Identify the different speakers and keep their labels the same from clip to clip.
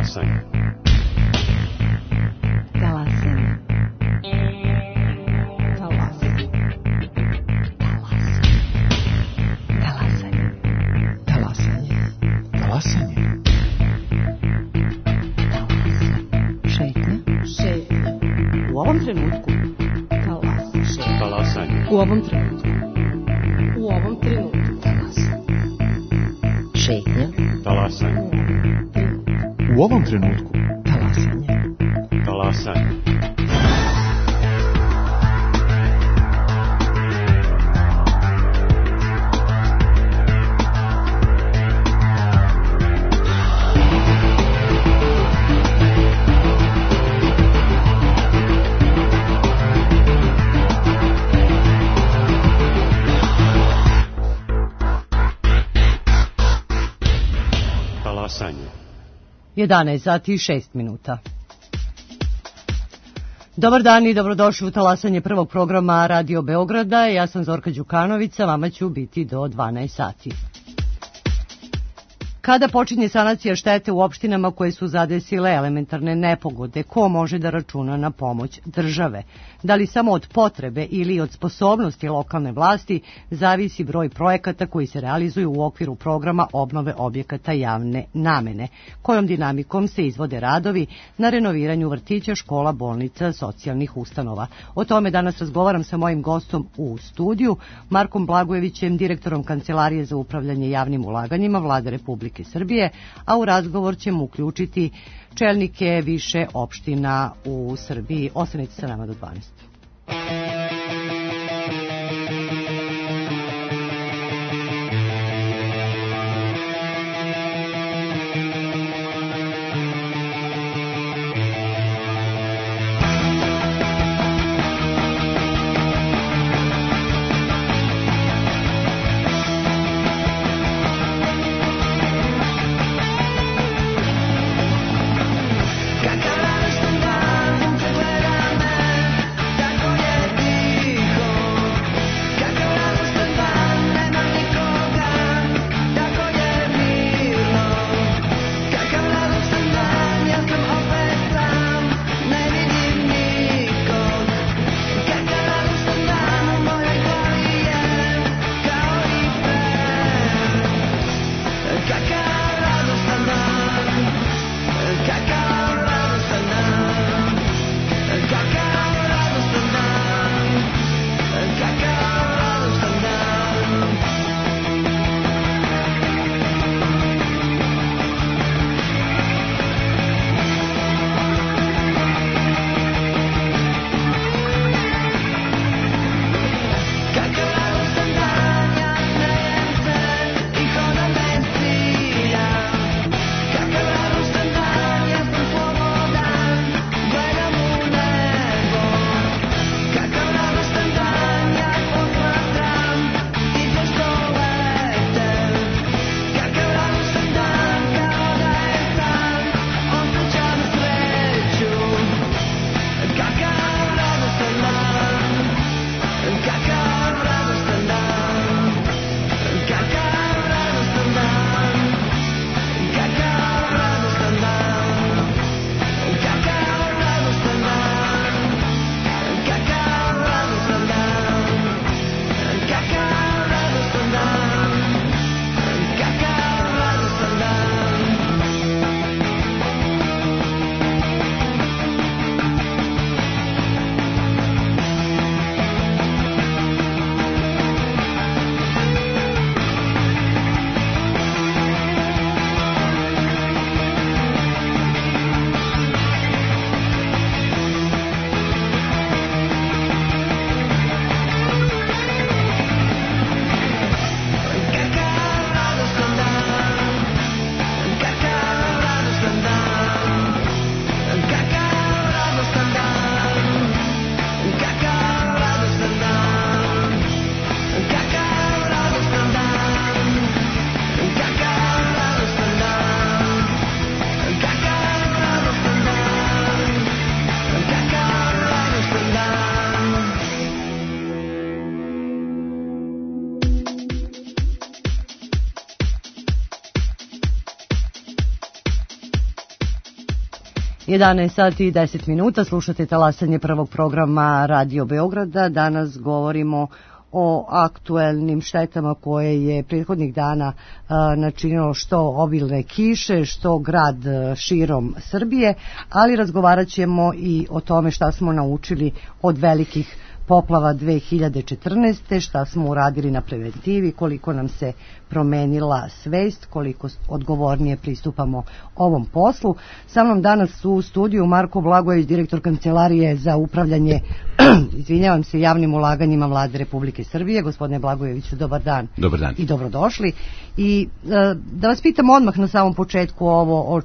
Speaker 1: Talasanje.
Speaker 2: Talasanje. Talasanje. Talasanje. Talasanje.
Speaker 3: Talasanje.
Speaker 2: Šetnja. Šetnja. U ovom trenutku. Talasanje.
Speaker 1: Talasanje.
Speaker 2: U ovom trenutku. U ovom trenutku. Talasanje. Šetnja.
Speaker 1: Talasanje.
Speaker 3: U ovom trenutku.
Speaker 2: Talasanje.
Speaker 1: Talasanje. Talasanje.
Speaker 4: 11 sati i 6 minuta. Dobar dan i dobrodošli u talasanje prvog programa Radio Beograda. Ja sam Zorka Đukanović, a vama ću biti do 12 sati. Kada počinje sanacija štete u opštinama koje su zadesile elementarne nepogode, ko može da računa na pomoć države? Da li samo od potrebe ili od sposobnosti lokalne vlasti zavisi broj projekata koji se realizuju u okviru programa obnove objekata javne namene? Kojom dinamikom se izvode radovi na renoviranju vrtića, škola, bolnica, socijalnih ustanova? O tome danas razgovaram sa mojim gostom u studiju, Markom Blagojevićem, direktorom Kancelarije za upravljanje javnim ulaganjima Vlade Republike Srbije, a u razgovor ćemo uključiti čelnike više opština u Srbiji. Ostanite sa nama do 12.
Speaker 5: Cacaras tumbadas entre veramente.
Speaker 4: 11 sati i 10 minuta, slušate talasanje prvog programa Radio Beograda. Danas govorimo o aktuelnim štetama koje je prethodnih dana načinilo što obilne kiše, što grad širom Srbije, ali razgovarat ćemo i o tome šta smo naučili od velikih poplava 2014. šta smo uradili na preventivi, koliko nam se promenila svest, koliko odgovornije pristupamo ovom poslu. Sa mnom danas u studiju Marko Blagojević, direktor Kancelarije za upravljanje javnim ulaganjima Vlade Republike Srbije. Gospodine Blagojeviću, dobar dan.
Speaker 5: Dobar dan.
Speaker 4: I dobrodošli. I da vas pitam odmah na samom početku ovo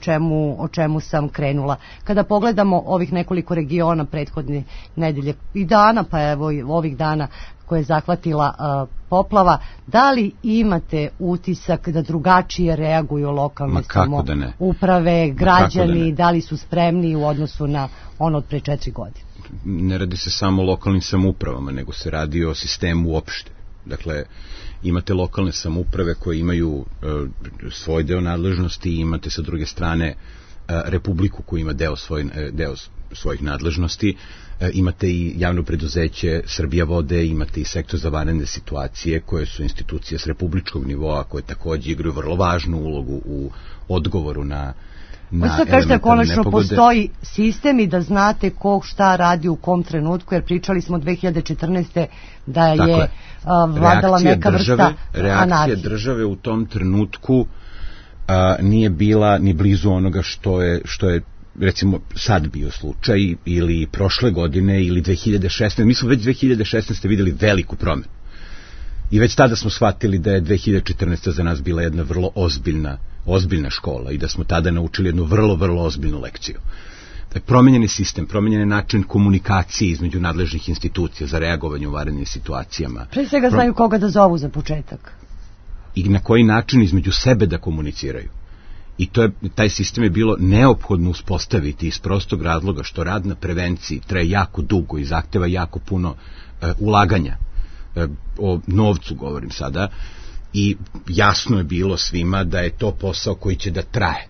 Speaker 4: o čemu sam krenula. Kada pogledamo ovih nekoliko regiona prethodne nedelje i dana, pa evo i ovih dana koje je zahvatila poplava, da li imate utisak da drugačije reaguju lokalne samouprave, građani, da li su spremni u odnosu na ono od pre 4 godine?
Speaker 5: Ne radi se samo o lokalnim samoupravama, nego se radi o sistemu uopšte. Dakle, imate lokalne samouprave koje imaju svoj deo nadležnosti i imate sa druge strane Republiku koja ima deo svojih nadležnosti, imate i javno preduzeće Srbija vode, imate i sektor za vanredne situacije koje su institucije s republičkog nivoa koje takođe igraju vrlo važnu ulogu u odgovoru na
Speaker 4: kažete, konačno postoji sistem i da znate ko šta radi u kom trenutku, jer pričali smo 2014. da je vladala neka vrsta anarhije.
Speaker 5: Reakcija države u tom trenutku nije bila ni blizu onoga što je recimo sad bio slučaj ili prošle godine ili 2016. Mi smo već 2016. videli veliku promenu. I već tada smo shvatili da je 2014. za nas bila jedna vrlo ozbiljna škola i da smo tada naučili jednu vrlo, vrlo ozbiljnu lekciju. Promenjen je sistem, promenjen je način komunikacije između nadležnih institucija za reagovanje u vanrednim situacijama.
Speaker 4: Pre svega znaju koga da zovu za početak.
Speaker 5: I na koji način između sebe da komuniciraju. I taj sistem je bilo neophodno uspostaviti iz prostog razloga što rad na prevenciji traje jako dugo i zahteva jako puno ulaganja. O novcu govorim sada. I jasno je bilo svima da je to posao koji će da traje.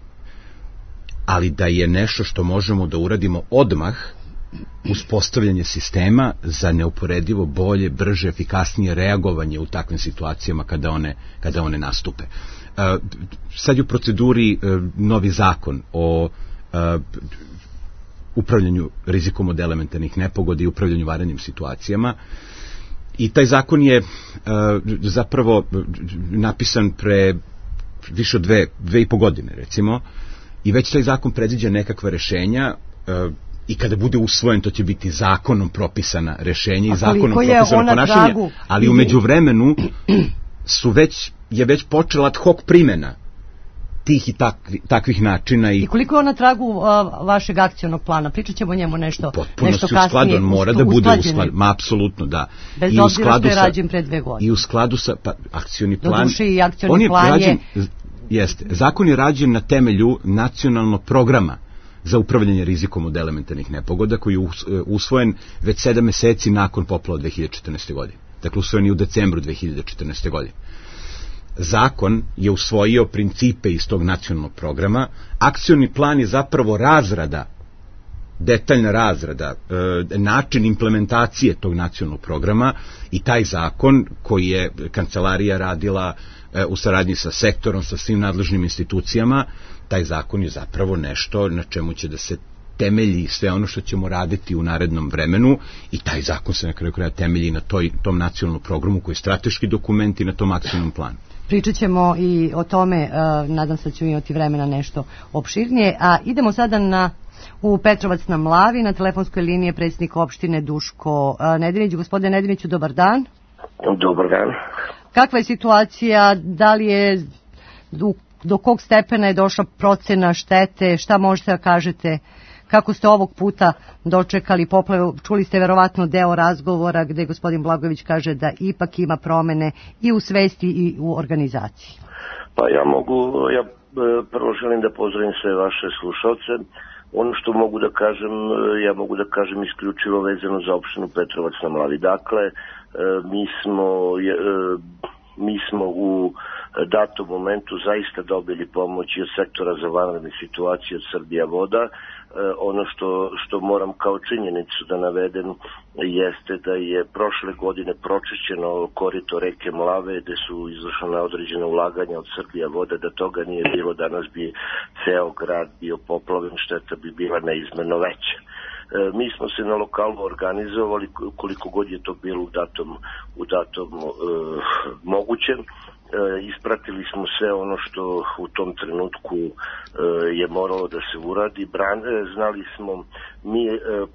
Speaker 5: Ali da je nešto što možemo da uradimo odmah, uspostavljanje sistema za neuporedivo bolje, brže, efikasnije reagovanje u takvim situacijama kada one nastupe. Sad je u proceduri novi zakon o upravljanju rizikom od elementarnih nepogoda i upravljanju vanrednim situacijama. I taj zakon je zapravo napisan pre više od 2,5 godine, recimo, i već taj zakon predviđa nekakva rešenja i kada bude usvojen to će biti zakonom propisana rešenja i zakonom propisano ponašanje, ali u međuvremenu je već počela ad hoc primjena tih i takvih načina.
Speaker 4: I koliko je on na tragu vašeg akcionog plana? Pričat ćemo o njemu nešto kasnije.
Speaker 5: Usklađen, on mora da bude usklađen. Ma, apsolutno, da.
Speaker 4: Bez obzira što je rađen pre 2 godine.
Speaker 5: I u skladu sa akcioni plan...
Speaker 4: Doduše i akcioni plan je...
Speaker 5: Jeste. Zakon je rađen na temelju nacionalnog programa za upravljanje rizikom od elementarnih nepogoda koji je usvojen već 7 meseci nakon poplava 2014. godine. Dakle, usvojen je u decembru 2014. godine. Zakon je usvojio principe iz tog nacionalnog programa. Akcioni plan je zapravo detaljna razrada, način implementacije tog nacionalnog programa i taj zakon koji je kancelarija radila u saradnji sa sektorom, sa svim nadležnim institucijama, taj zakon je zapravo nešto na čemu će da se temelji sve ono što ćemo raditi u narednom vremenu i taj zakon se na kraju kraja temelji na tom nacionalnom programu koji je strateški dokument i na tom akcijnom planu.
Speaker 4: Pričat ćemo i o tome, nadam se da ću imati vremena nešto opširnije, a idemo sada u Petrovac na Mlavi, na telefonskoj liniji je predsjednik opštine Duško Nedinić. Gospodine Nediniću, dobar dan.
Speaker 6: Dobar dan.
Speaker 4: Kakva je situacija, da li je, do kog stepena je došla procena štete, šta možete da kažete, kako ste ovog puta dočekali poplave? Čuli ste verovatno deo razgovora gde gospodin Blagojević kaže da ipak ima promene i u svesti i u organizaciji.
Speaker 6: Pa ja prvo želim da pozdravim sve vaše slušalce. Ono što mogu da kažem isključivo vezano za opštinu Petrovac na Mlavi. Dakle, mi smo u datom momentu zaista dobili pomoć od sektora za vanredne situacije od Srbija voda. ono što moram kao činjenicu da navedem jeste da je prošle godine pročišćeno korito reke Mlave, gde su izvršena određena ulaganja od Srbija vode. Da toga nije bilo, danas bi ceo grad bio poplavljen, šteta bi bila neizmerno veća. Mi smo se na lokalu organizovali koliko god je to bilo u datom mogućem. Ispratili smo sve ono što u tom trenutku je moralo da se uradi. Znali smo mi,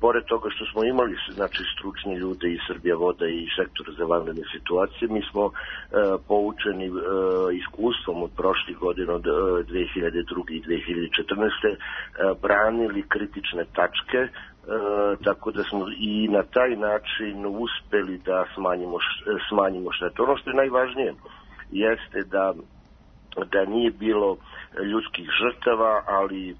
Speaker 6: pored toga što smo imali znači stručni ljude iz Srbija voda i sektora za vanredne situacije, mi smo poučeni iskustvom od prošlih godina, od 2002. i 2014. Branili kritične tačke, tako da smo i na taj način uspeli da smanjimo štetu. Ono što je najvažnije jeste da nije bilo ljudskih žrtava, ali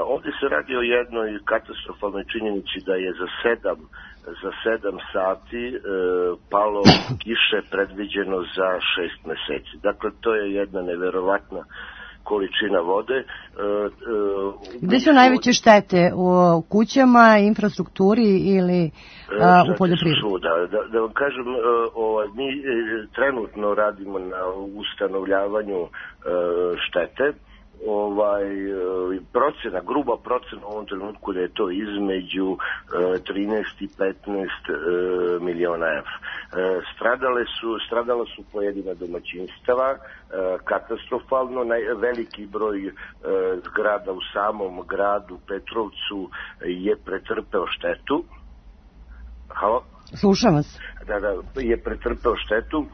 Speaker 6: ovdje se radi o jednoj katastrofalnoj činjenici da je za 7 sati palo kiše predviđeno za 6 meseci. Dakle, to je jedna neverovatna količina vode.
Speaker 4: Gde su najveće štete? U kućama, infrastrukturi ili u poljoprivredi?
Speaker 6: Da vam kažem, mi trenutno radimo na ustanovljavanju štete. Gruba procena u ovom trenutku da je to između 13 i 15 miliona evra. Stradala su pojedina domaćinstava, katastrofalno, veliki broj zgrada u samom gradu Petrovcu je pretrpeo štetu. Halo?
Speaker 4: Slušam vas.
Speaker 6: Da, je pretrpeo štetu.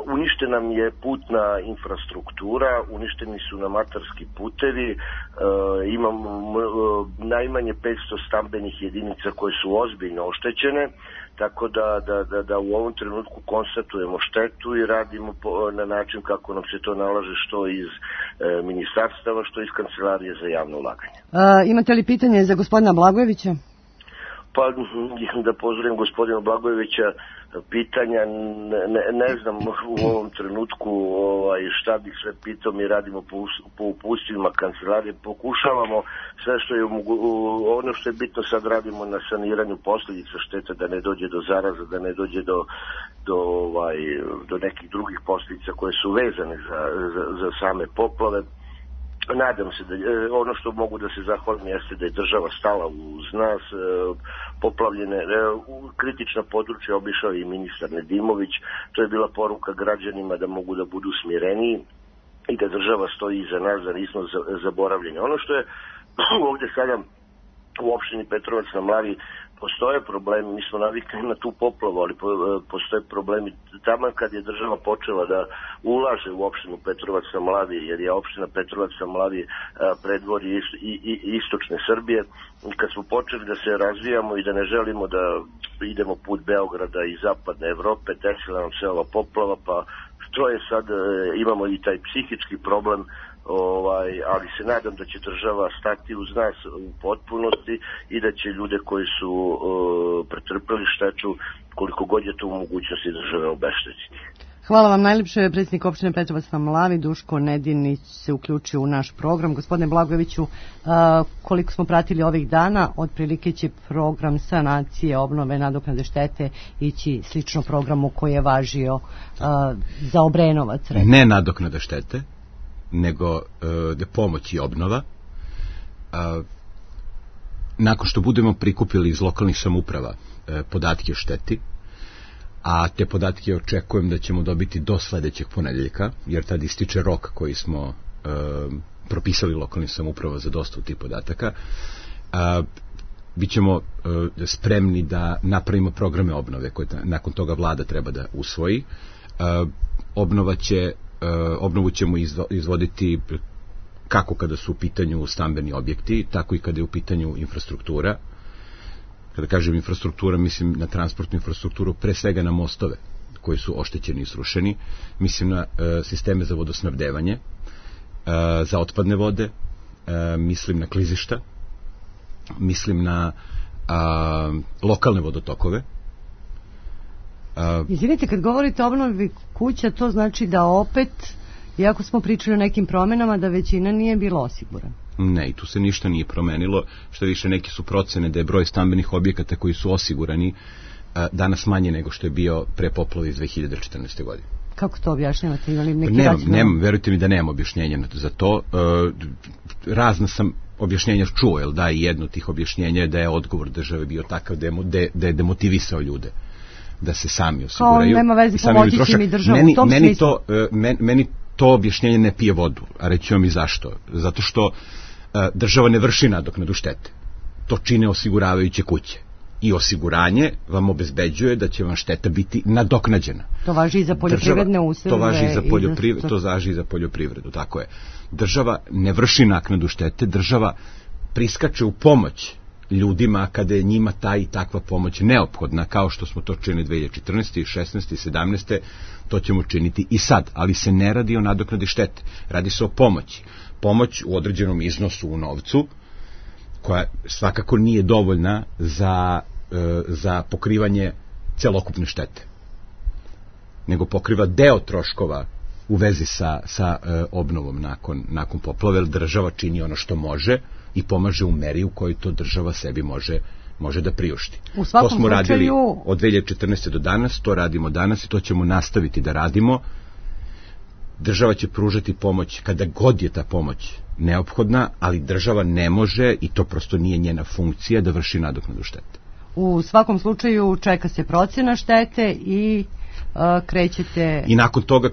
Speaker 6: Uništena nam je putna infrastruktura, uništeni su nam atarski putevi, imamo najmanje 500 stambenih jedinica koje su ozbiljno oštećene, tako da u ovom trenutku konstatujemo štetu i radimo na način kako nam se to nalaže, što iz ministarstava, što iz Kancelarije za javno ulaganje.
Speaker 4: Imate li pitanje za gospodina Blagojevića?
Speaker 6: Pa da pozdravim gospodina Blagojevića, pitanja ne znam u ovom trenutku šta bih sve pitao. Mi radimo po upustvima kancelarije, pokušavamo sve što je ono što je bitno, sad radimo na saniranju posljedica šteta, da ne dođe do zaraza, da ne dođe do nekih drugih posljedica koje su vezane za same poplave. Nadam se da ono što mogu da se zahvalim jeste da je država stala uz nas, poplavljene kritična područja obišao i ministar Nedimović. To je bila poruka građanima da mogu da budu smireniji i da država stoji iza nas, da nismo zaboravljeni. Ono što je ovdje sada u opštini Petrovac na Mlavi, postoje problemi, mi smo navikli na tu poplavu, ali postoje problemi tamo kad je država počela da ulaže u opštinu Petrovac na Mlavi, jer je opština Petrovac na Mlavi predvorje istočne Srbije. Kad smo počeli da se razvijamo i da ne želimo da idemo put Beograda i zapadne Evrope, desila nam se ova poplava, pa što je sad, imamo i taj psihički problem, ali se nadam da će država stati uz nas u potpunosti i da će ljude koji su pretrpeli štetu, koliko god je to u mogućnosti države, obeštetiti.
Speaker 4: Hvala vam najljepše. Predsjednik opštine Petrovac na Mlavi, Duško Nedinić, se uključio u naš program. Gospodine Blagojeviću, koliko smo pratili ovih dana, otprilike će program sanacije, obnove, nadoknade štete ići slično programu koji je važio za Obrenovac.
Speaker 5: Ne nadoknada štete, nego pomoć i obnova. Nakon što budemo prikupili iz lokalnih samouprava podatke o šteti, a te podatke očekujem da ćemo dobiti do sledećeg ponedeljka, jer tad ističe rok koji smo propisali lokalnim samouprava za dostavu tih podataka, bićemo spremni da napravimo programe obnove koje nakon toga vlada treba da usvoji. Obnovu ćemo izvoditi kako kada su u pitanju stambeni objekti, tako i kada je u pitanju infrastruktura. Kada kažem infrastruktura, mislim na transportnu infrastrukturu, pre svega na mostove koji su oštećeni i srušeni, mislim na sisteme za vodosnabdevanje, za otpadne vode, mislim na klizišta, mislim na lokalne vodotokove.
Speaker 4: Izvinite, kad govorite o obnovi kuća, to znači da opet Iako smo pričali o nekim promenama da većina nije bila osigurana.
Speaker 5: Ne, i tu se ništa nije promenilo, što više neki su procene da je broj stambenih objekata koji su osigurani danas manje nego što je bio pre poplave iz 2014. godine.
Speaker 4: Kako to objašnjavate? Ili neki
Speaker 5: Nemam, verujte mi da nemam objašnjenja za to. Razna sam objašnjenja čuo, jel da, i jedno od tih objašnjenja je da je odgovor države bio takav da je demotivisao ljude da se sami osiguraju.
Speaker 4: Kao nema veze, pomoći će mi državu u tom smislu.
Speaker 5: Meni to objašnjenje ne pije vodu, a reći vam i zašto. Zato što država ne vrši nadoknadu štete. To čine osiguravajuće kuće. I osiguranje vam obezbeđuje da će vam šteta biti nadoknađena.
Speaker 4: To važi i za poljoprivredne useve.
Speaker 5: To važi i za poljoprivredu, tako je. Država ne vrši naknadu štete, država priskače u pomoć ljudima kada je njima ta i takva pomoć neophodna, kao što smo to činili 2014. i 16. i 17. To ćemo činiti i sad, ali se ne radi o nadoknadi štete, radi se o pomoći. Pomoć u određenom iznosu u novcu, koja svakako nije dovoljna za pokrivanje celokupne štete, nego pokriva deo troškova u vezi sa obnovom nakon poplave, jer država čini ono što može i pomaže u meri u kojoj to država sebi može da priušti. To smo radili od 2014. do danas, to radimo danas i to ćemo nastaviti da radimo. Država će pružati pomoć kada god je ta pomoć neophodna, ali država ne može, i to prosto nije njena funkcija, da vrši nadoknadu štete.
Speaker 4: U svakom slučaju čeka se procena štete i krećete...
Speaker 5: I nakon toga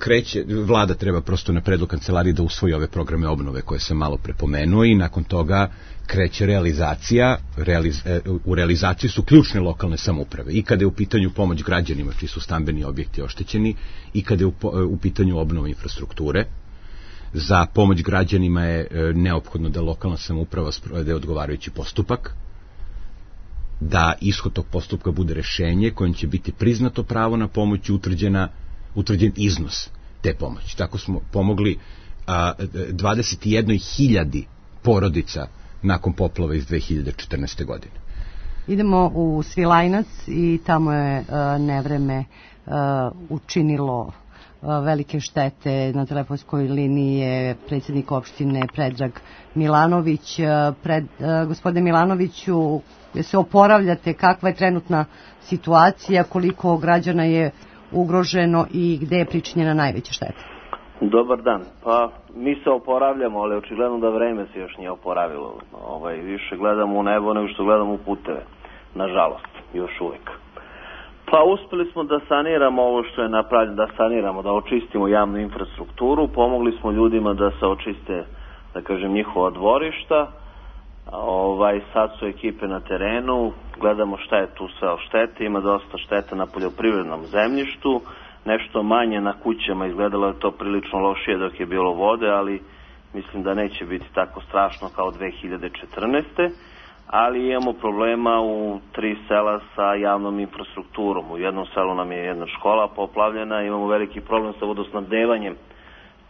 Speaker 5: vlada treba prosto na predlog kancelarije da usvoji ove programe obnove koje sam malo prepomenuo i nakon toga kreće realizacija. U realizaciji su ključne lokalne samouprave i kada je u pitanju pomoć građanima čiji su stambeni objekti oštećeni i kada je u pitanju obnova infrastrukture. Za pomoć građanima je neophodno da lokalna samouprava sprovede odgovarajući postupak, da ishod tog postupka bude rešenje kojim će biti priznato pravo na pomoć i utvrđen iznos te pomoći. Tako smo pomogli 21.000 porodica nakon poplava iz 2014. godine.
Speaker 4: Idemo u Svilajnac i tamo je nevreme učinilo velike štete. Na telefonskoj liniji je predsjednik opštine Predrag Milanović. Gospodine Milanoviću, se oporavljate, kakva je trenutna situacija, koliko građana je ugroženo i gde je pričinjena najveća šteta?
Speaker 7: Dobar dan. Pa mi se oporavljamo, ali očigledno da vreme se još nije oporavilo. Više gledamo u nebo nego što gledamo u puteve. Nažalost, još uvijek. Pa uspeli smo da saniramo ovo što je napravljeno, da saniramo, da očistimo javnu infrastrukturu, pomogli smo ljudima da se očiste, da kažem, njihova dvorišta. Sad su ekipe na terenu, gledamo šta je tu sve štete, ima dosta štete na poljoprivrednom zemljištu, nešto manje na kućama, izgledalo je to prilično lošije dok je bilo vode, ali mislim da neće biti tako strašno kao 2014. Ali imamo problema u 3 sela sa javnom infrastrukturom. U jednom selu nam je jedna škola poplavljena, imamo veliki problem sa vodosnabdevanjem,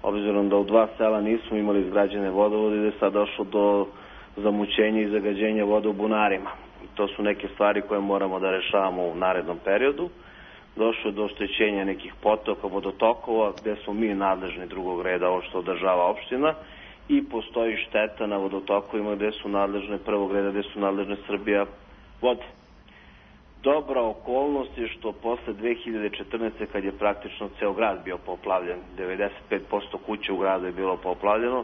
Speaker 7: obzirom da u 2 sela nismo imali izgrađene vodovode, da je sad došlo do zamućenja i zagađenja vode u bunarima. I to su neke stvari koje moramo da rešavamo u narednom periodu. Došlo je do oštećenja nekih potoka, vodotokova, gde smo mi nadležni drugog reda, ovo što održava opština, i postoji šteta na vodotokovima gde su nadležne prvog reda, gde su nadležne Srbija vode. Dobra okolnost je što posle 2014. kad je praktično ceo grad bio poplavljen, 95% kuća u gradu je bilo poplavljeno,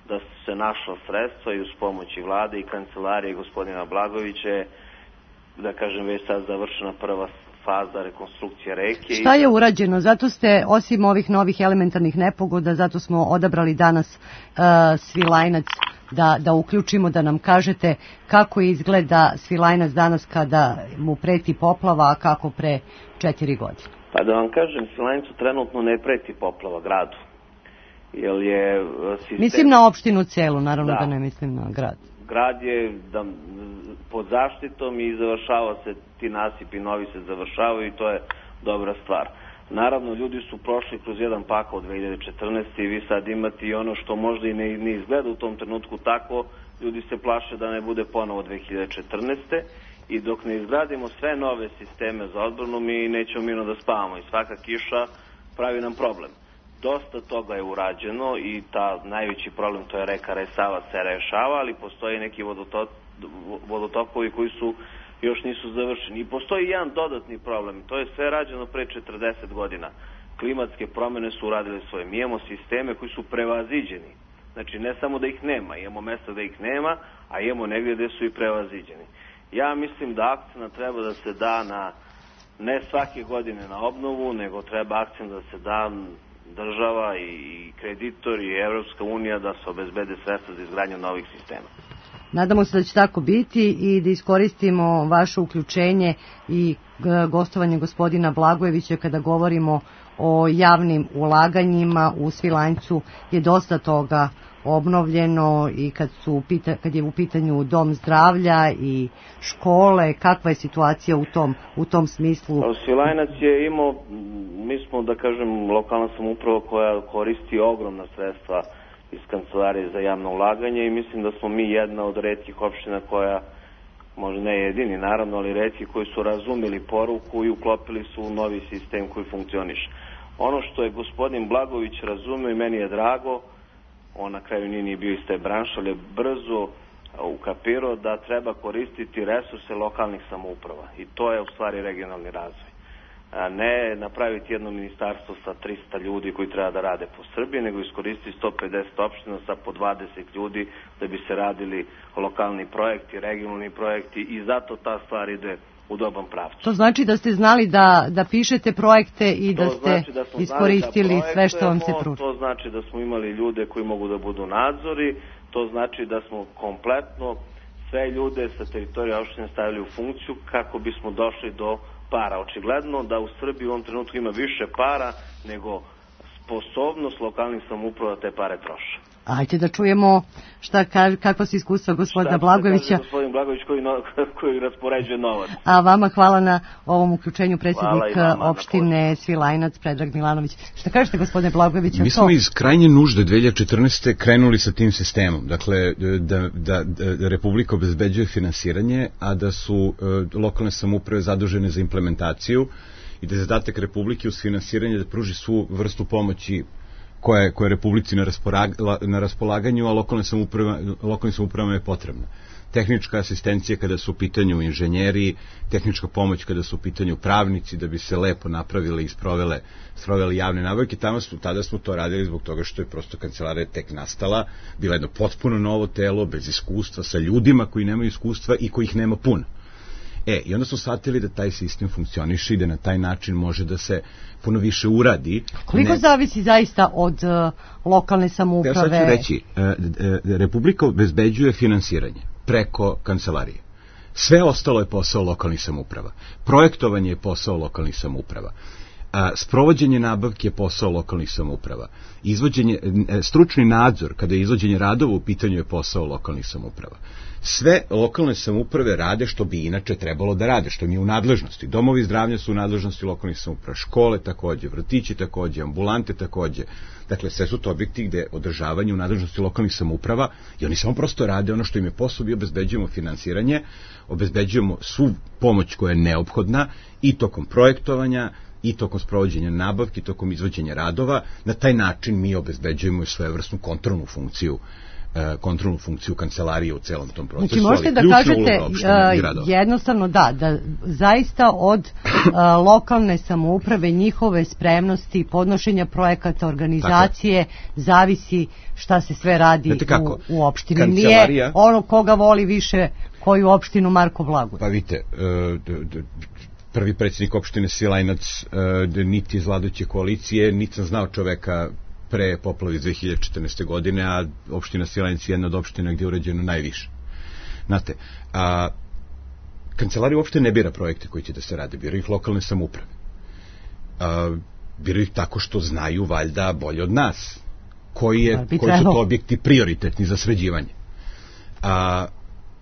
Speaker 7: da su se našla sredstva i uz pomoći vlade i kancelarije gospodina Blagovića je, da kažem, već sad završena prva faza rekonstrukcije reke.
Speaker 4: Šta je urađeno? Zato ste, osim ovih novih elementarnih nepogoda, zato smo odabrali danas Svilajnac da uključimo, da nam kažete kako izgleda Svilajnac danas kada mu preti poplava, a kako pre 4 godine.
Speaker 7: Pa da vam kažem, Svilajncu trenutno ne preti poplava gradu.
Speaker 4: Mislim na opštinu celu, naravno da ne mislim na grad.
Speaker 7: Grad je pod zaštitom i završava se, ti nasipi novi se završavaju i to je dobra stvar. Naravno, ljudi su prošli kroz jedan pakao od 2014. i vi sad imate i ono što možda i ne izgleda u tom trenutku tako, ljudi se plaše da ne bude ponovo 2014. I dok ne izgradimo sve nove sisteme za odbranu, mi nećemo mirno da spavamo i svaka kiša pravi nam problem. dosta toga je urađeno i ta najveći problem, to je reka Resava, se rešava, ali postoje neki vodotokovi koji još nisu završeni. I postoji jedan dodatni problem, to je sve rađeno pre 40 godina. Klimatske promene su uradile svoje. Mi imamo sisteme koji su prevaziđeni. Znači, ne samo da ih nema, imamo mesta da ih nema, a imamo negdje gde su i prevaziđeni. Ja mislim da akcent treba da se da ne svake godine na obnovu, nego treba akcent da se da država i kreditori i Evropska unija da se obezbede sredstva za izgradnju novih sistema.
Speaker 4: Nadamo se da će tako biti i da iskoristimo vaše uključenje i gostovanje gospodina Blagojevića kada govorimo o javnim ulaganjima. U Svilajncu je dosta toga obnovljeno i kad je u pitanju dom zdravlja i škole, kakva je situacija u tom smislu?
Speaker 7: Svilajnac je imao, mi smo da kažem lokalna samouprava koja koristi ogromna sredstva iz Kancelarije za javno ulaganje i mislim da smo mi jedna od retkih opština koja, možda ne jedini naravno, ali retki koji su razumeli poruku i uklopili su u novi sistem koji funkcioniše. Ono što je gospodin Blagović razumeo i meni je drago, on na kraju nije bio iz te branše, ali je brzo ukapirao da treba koristiti resurse lokalnih samouprava i to je u stvari regionalni razvoj. Ne napraviti jedno ministarstvo sa 300 ljudi koji treba da rade po Srbiji, nego iskoristiti 150 opština sa po 20 ljudi da bi se radili lokalni projekti, regionalni projekti i zato ta stvar ide u dobrom pravcu.
Speaker 4: To znači da ste znali da pišete projekte i da ste iskoristili sve što vam se pruža.
Speaker 7: To znači da smo imali ljude koji mogu da budu nadzori, to znači da smo kompletno sve ljude sa teritorija opštine stavili u funkciju kako bismo došli do para. Očigledno da u Srbiji u ovom trenutku ima više para nego sposobnost lokalnih samouprava da te pare troše.
Speaker 4: Ajde da čujemo kakva su iskustva gospodina Blagojevića.
Speaker 7: Gospodin Blagojević koji raspoređuje novac.
Speaker 4: A vama hvala na ovom uključenju, predsjednik opštine Svilajnac, Predrag Milanović. Šta kažete gospodine Blagojević?
Speaker 5: Mi smo iz krajnje nužde 2014. krenuli sa tim sistemom. Dakle, da Republika obezbeđuje finansiranje, a da su lokalne samouprave zadužene za implementaciju i da je zadatak Republike uz finansiranje da pruži svu vrstu pomoći koja je Republici na raspolaganju, a lokalnim samoupravama je potrebna. Tehnička asistencija kada su u pitanju inženjeri, tehnička pomoć kada su u pitanju pravnici, da bi se lepo napravile i sprovele javne nabavke. Tada smo to radili zbog toga što je prosto kancelarija tek nastala, bila jedno potpuno novo telo, bez iskustva, sa ljudima koji nemaju iskustva i kojih nema puno. I onda smo shvatili da taj sistem funkcioniše i da na taj način može da se puno više uradi.
Speaker 4: Koliko zavisi zaista od lokalne samouprave?
Speaker 5: Ja sad ću reći, Republika obezbeđuje finansiranje preko kancelarije. Sve ostalo je posao lokalnih samouprava. Projektovanje je posao lokalnih samouprava. Sprovođenje nabavke je posao lokalnih samouprava. Stručni nadzor kada je izvođenje radova u pitanju je posao lokalnih samouprava. Sve lokalne samouprave rade što bi inače trebalo da rade, što mi je u nadležnosti. Domovi zdravlja su u nadležnosti lokalnih samouprava, škole takođe, vrtići takođe, ambulante takođe. Dakle, sve su to objekti gde održavanje u nadležnosti lokalnih samouprava i oni samo prosto rade ono što im je posao i obezbeđujemo finansiranje, obezbeđujemo svu pomoć koja je neophodna i tokom projektovanja, i tokom sprovođenja nabavki, tokom izvođenja radova. Na taj način mi obezbeđujemo svojevrsnu kontrolnu funkciju kancelarije u celom tom procesu.
Speaker 4: Znači možete da kažete jednostavno da zaista od lokalne samouprave, njihove spremnosti, podnošenja projekata, organizacije, zavisi šta se sve radi u opštini. Nije ono koga voli više koju opštinu Marko Blagojević.
Speaker 5: Pa vidite, prvi predsjednik opštine Svilajnac niti iz vladajuće koalicije, niti sam znao čoveka pre poplave 2014. godine, a opština Svilajnac je jedna od opština gdje je urađeno najviše. Znate, kancelarija uopšte ne bira projekte koji će da se rade, bira ih lokalne samouprave. Bira ih tako što znaju valjda bolje od nas koji su to objekti prioritetni za sređivanje.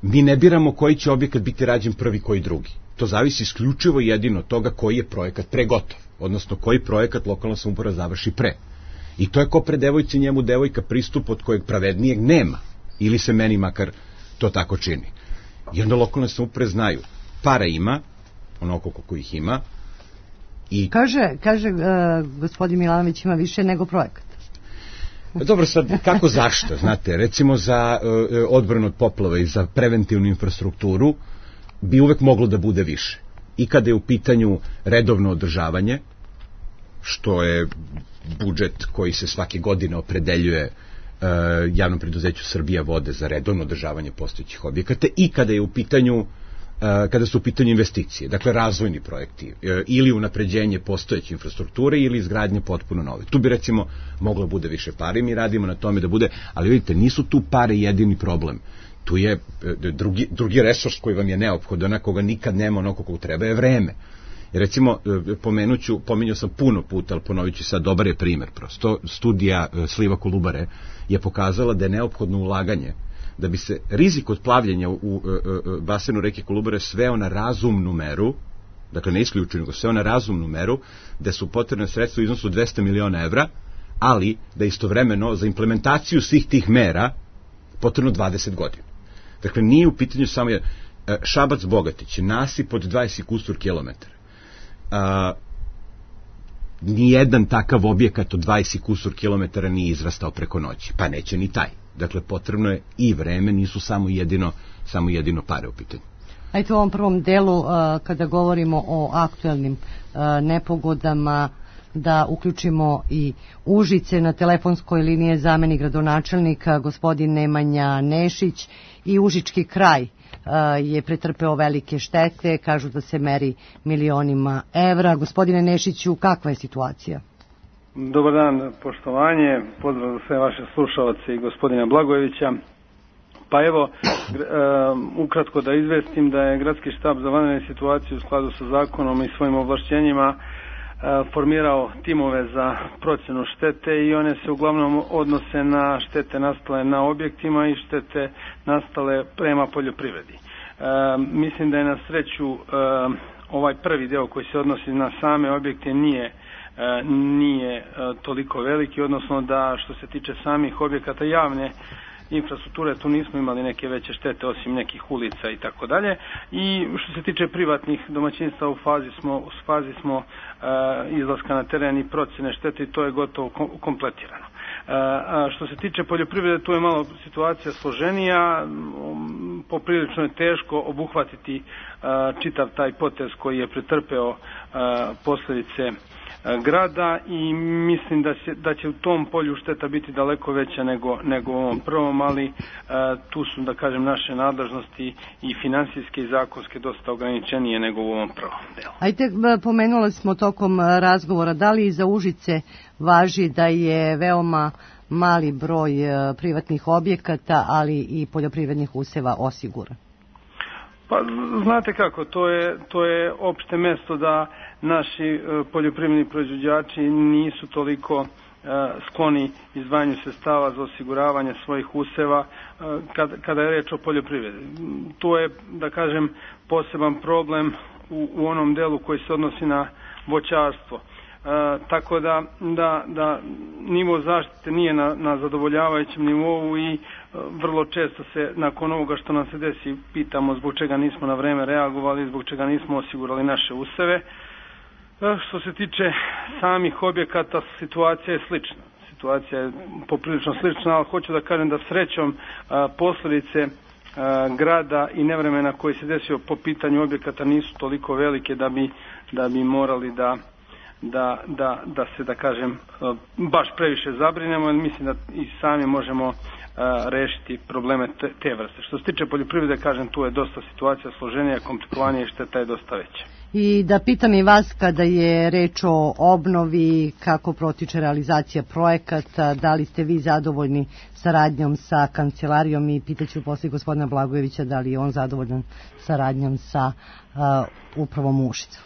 Speaker 5: Mi ne biramo koji će objekat biti rađen prvi, koji drugi. To zavisi isključivo jedino od toga koji je projekat pre gotov, odnosno koji projekat lokalna samouprava završi pre. I to je ko pre devojci njemu devojka pristup od kojeg pravednijeg nema, ili se meni makar to tako čini. I onda lokalne samouprave znaju, para ima, onoliko koliko ih ima,
Speaker 4: I kaže gospodin Milanović ima više nego projekat.
Speaker 5: Dobro, sad, kako zašto? Znate, recimo za odbranu od poplava i za preventivnu infrastrukturu bi uvek moglo da bude više. I kada je u pitanju redovno održavanje, što je budžet koji se svake godine opredeljuje javnom preduzeću Srbija vode za redovno održavanje postojećih objekata, i kada je u pitanju kada su u pitanju investicije, dakle razvojni projekti ili unapređenje postojeće infrastrukture ili izgradnje potpuno nove. Tu bi recimo moglo bude više pare, mi radimo na tome da bude, ali vidite, nisu tu pare jedini problem. Tu je drugi resurs koji vam je neophodan, koga nikad nema onako kako treba, je vreme. Recimo, pominjao sam puno puta, ali ponovit ću sad, dobar je primer prosto. Studija sliva Kolubare je pokazala da je neophodno ulaganje da bi se rizik od plavljenja u basenu reke Kolubare sveo na razumnu meru, dakle ne isključeno, nego sveo na razumnu meru, da su potrebne sredstva u iznosu 200 miliona evra, ali da istovremeno za implementaciju svih tih mera potrebno 20 godina. Dakle, nije u pitanju samo Šabac-Bogatić, nasip od 20 kusur kilometara. Nijedan takav objekat od 20 kusur kilometara nije izrastao preko noći, pa neće ni taj. Dakle, potrebno je i vreme, nisu samo jedino pare u pitanju.
Speaker 4: Ajde, u ovom prvom delu, kada govorimo o aktuelnim nepogodama, da uključimo i Užice. Na telefonskoj liniji je zamenik gradonačelnika gospodin Nemanja Nešić, i Užički kraj je pretrpeo velike štete, kažu da se meri milionima evra. Gospodine Nešiću, kakva je situacija?
Speaker 8: Dobar dan, poštovanje, pozdrav za sve vaše slušalce i gospodina Blagojevića. Pa evo, ukratko da izvestim da je Gradski štab za vanredne situacije u skladu sa zakonom i svojim ovlašćenjima formirao timove za procjenu štete, i one se uglavnom odnose na štete nastale na objektima i štete nastale prema poljoprivredi. Mislim da je na sreću ovaj prvi deo koji se odnosi na same objekte nije toliko veliki, odnosno da što se tiče samih objekata javne infrastrukture, tu nismo imali neke veće štete osim nekih ulica i tako dalje. I što se tiče privatnih domaćinstva, u fazi smo izlaska na teren i procjene štete, i to je gotovo kompletirano. Što se tiče poljoprivrede, tu je malo situacija složenija, poprilično je teško obuhvatiti čitav taj potez koji je pretrpeo posljedice grada, i mislim da će u tom polju šteta biti daleko veća nego u ovom prvom, ali tu su, da kažem, naše nadležnosti i finansijske i zakonske dosta ograničenije nego u ovom prvom delu.
Speaker 4: Ajde, pomenuli smo tokom razgovora, da li za Užice važi da je veoma mali broj privatnih objekata, ali i poljoprivrednih useva osiguran?
Speaker 8: Pa znate kako, to je opšte mesto da naši poljoprivredni proizvođači nisu toliko skloni izdvajanju sredstava za osiguravanje svojih useva kada je reč o poljoprivredi. To je, da kažem, poseban problem u onom delu koji se odnosi na voćarstvo. Tako da nivo zaštite nije na zadovoljavajućem nivou, i vrlo često se nakon ovoga što nam se desi pitamo zbog čega nismo na vreme reagovali, zbog čega nismo osigurali naše useve. Što se tiče samih objekata, situacija je slična. Situacija je poprilično slična, ali hoću da kažem da srećom posljedice grada i nevremena koji se desio po pitanju objekata nisu toliko velike da bi morali da se, da kažem, baš previše zabrinemo, jer mislim da i sami možemo rešiti probleme te vrste. Što se tiče poljoprivrede, kažem, tu je dosta situacija složenija, komplikovanija, i šteta je dosta veća.
Speaker 4: I da pitam i vas, kada je reč o obnovi, kako protiče realizacija projekata, da li ste vi zadovoljni saradnjom sa kancelarijom, i pitaću posle gospodina Blagojevića da li je on zadovoljan saradnjom sa upravom Užica.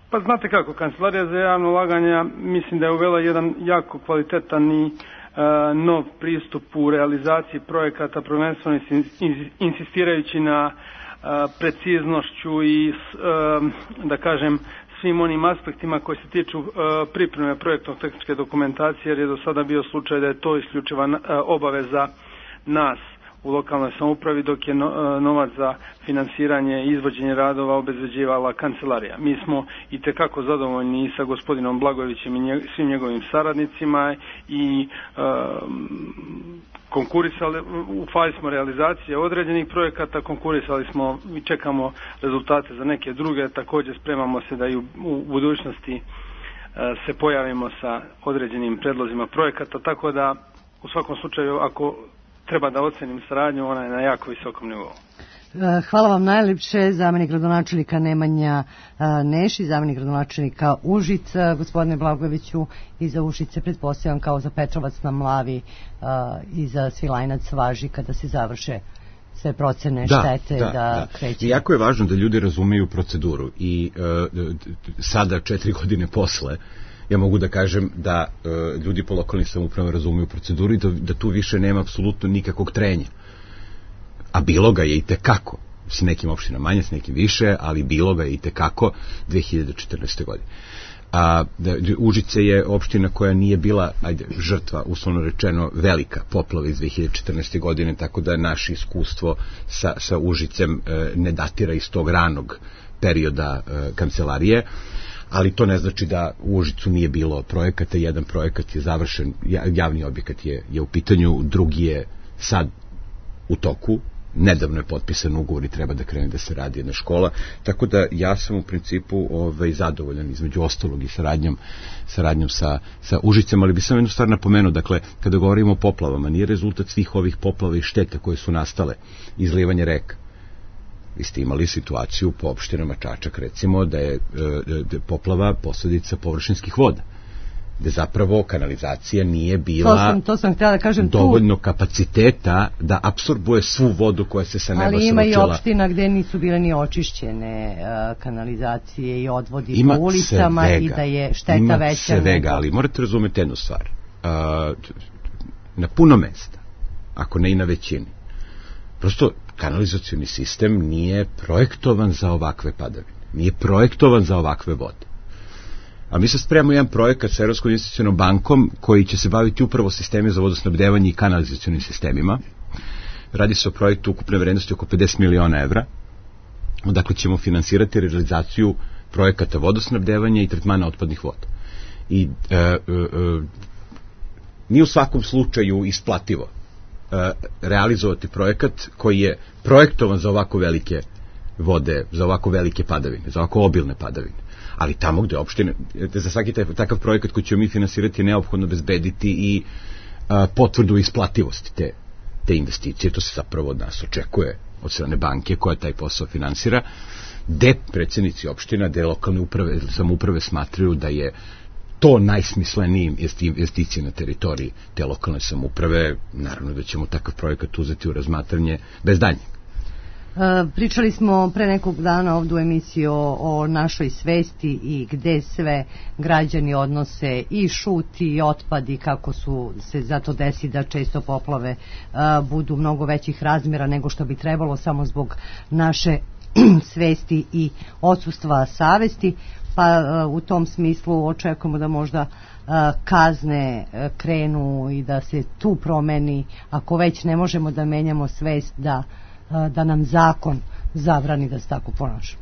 Speaker 8: Pa znate kako, Kancelarija za javno ulaganja mislim da je uvela jedan jako kvalitetan i nov pristup u realizaciji projekata, prvenstveno insistirajući na preciznošću i, da kažem, svim onim aspektima koji se tiču pripreme projektno-tehničke dokumentacije, jer je do sada bio slučaj da je to isključiva obaveza nas u lokalnoj samoupravi, dok je novac za finansiranje i izvođenje radova obezbeđivala kancelarija. Mi smo i tekako zadovoljni i sa gospodinom Blagojevićem i svim njegovim saradnicima i konkurisali, u fazi smo realizacije određenih projekata, konkurisali smo i čekamo rezultate za neke druge, također spremamo se da i u budućnosti se pojavimo sa određenim predlozima projekata, tako da u svakom slučaju ako treba da ocenim saradnju, ona je na jako visokom nivou.
Speaker 4: Hvala vam najljepše, zamjenik gradonačelnika Nemanja Neši, zamjenik gradonačelnika Užica, gospodine Blagojeviću, i za Užice pretpostavljam kao za Petrovac na Mlavi i za Svilajnac važi kada se završe sve procene štete da kreće.
Speaker 5: I jako je važno da ljudi razumeju proceduru i sada 4 godine posle ja mogu da kažem da ljudi po lokalnim samoupravama razumeju proceduru i da tu više nema apsolutno nikakvog trenja. A bilo ga je i tekako, s nekim opštinama manje, s nekim više, ali bilo ga je i tekako 2014. godine. Užice je opština koja nije bila, žrtva, uslovno rečeno, velika poplava iz 2014. godine, tako da naše iskustvo sa Užicem ne datira iz tog ranog perioda kancelarije, ali to ne znači da u Užicu nije bilo projekata. Jedan projekat je završen, javni objekat je u pitanju, drugi je sad u toku, nedavno je potpisan ugovor i treba da krene da se radi jedna škola, tako da ja sam u principu zadovoljan između ostalog i saradnjom sa Užicem, ali bi sam jednu stvar napomenuo, dakle, kada govorimo o poplavama, nije rezultat svih ovih poplava i šteta koje su nastale izlivanje reka. Vi ste imali situaciju po opštinama Čačak, recimo, da je poplava posledica površinskih voda, gde zapravo kanalizacija nije bila
Speaker 4: to sam htjela da kažem,
Speaker 5: dovoljno kapaciteta da apsorbuje svu vodu koja se sa neba sručila.
Speaker 4: Ali ima i opština gde nisu bile ni očišćene kanalizacije i odvodi po ulicama i da je šteta veća.
Speaker 5: Ima svega, ali morate razumeti jednu stvar. Na puno mesta, ako ne i na većini, prosto kanalizacioni sistem nije projektovan za ovakve padavine, nije projektovan za ovakve vode. A mi sad spremamo jedan projekat sa Evropskom investicionom bankom koji će se baviti upravo sisteme za vodosnabdevanje i kanalizacionim sistemima. Radi se o projektu ukupne vrednosti oko 50 miliona evra. Odakle ćemo finansirati realizaciju projekata vodosnabdevanja i tretmana otpadnih voda. I nije u svakom slučaju isplativo realizovati projekat koji je projektovan za ovako velike vode, za ovako velike padavine, za ovako obilne padavine. Ali tamo gde opštine, za svaki takav projekat koji ćemo mi finansirati je neophodno bezbediti i potvrdu isplativosti te investicije. To se zapravo od nas očekuje od strane banke koja taj posao finansira, gde predsjednici opština, gde lokalne samouprave smatraju da je to najsmislenijim investicije na teritoriji te lokalne samouprave. Naravno da ćemo takav projekat uzeti u razmatranje bez daljnjeg.
Speaker 4: Pričali smo pre nekog dana ovdje u emisiji o našoj svesti i gde sve građani odnose i šut i otpad i kako se zato desi da često poplave budu mnogo većih razmjera nego što bi trebalo samo zbog naše svesti i odsustva savesti, pa u tom smislu očekujemo da možda kazne krenu i da se tu promeni, ako već ne možemo da menjamo svest, da nam zakon zabrani da se tako ponašamo.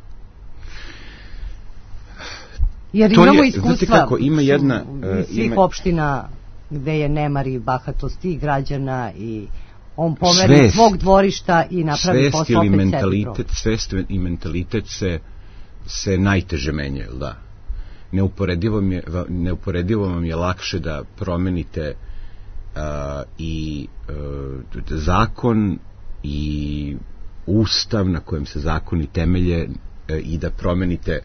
Speaker 4: Jer imamo iskustva svih opština gde je nemar i bahatost i građana i on pomeri svog dvorišta i napravi posao opet sebi.
Speaker 5: Svest i mentalitet se najteže menjaju, da. Neuporedivo vam je lakše da promenite i zakon i ustav na kojem se zakoni temelje i da promenite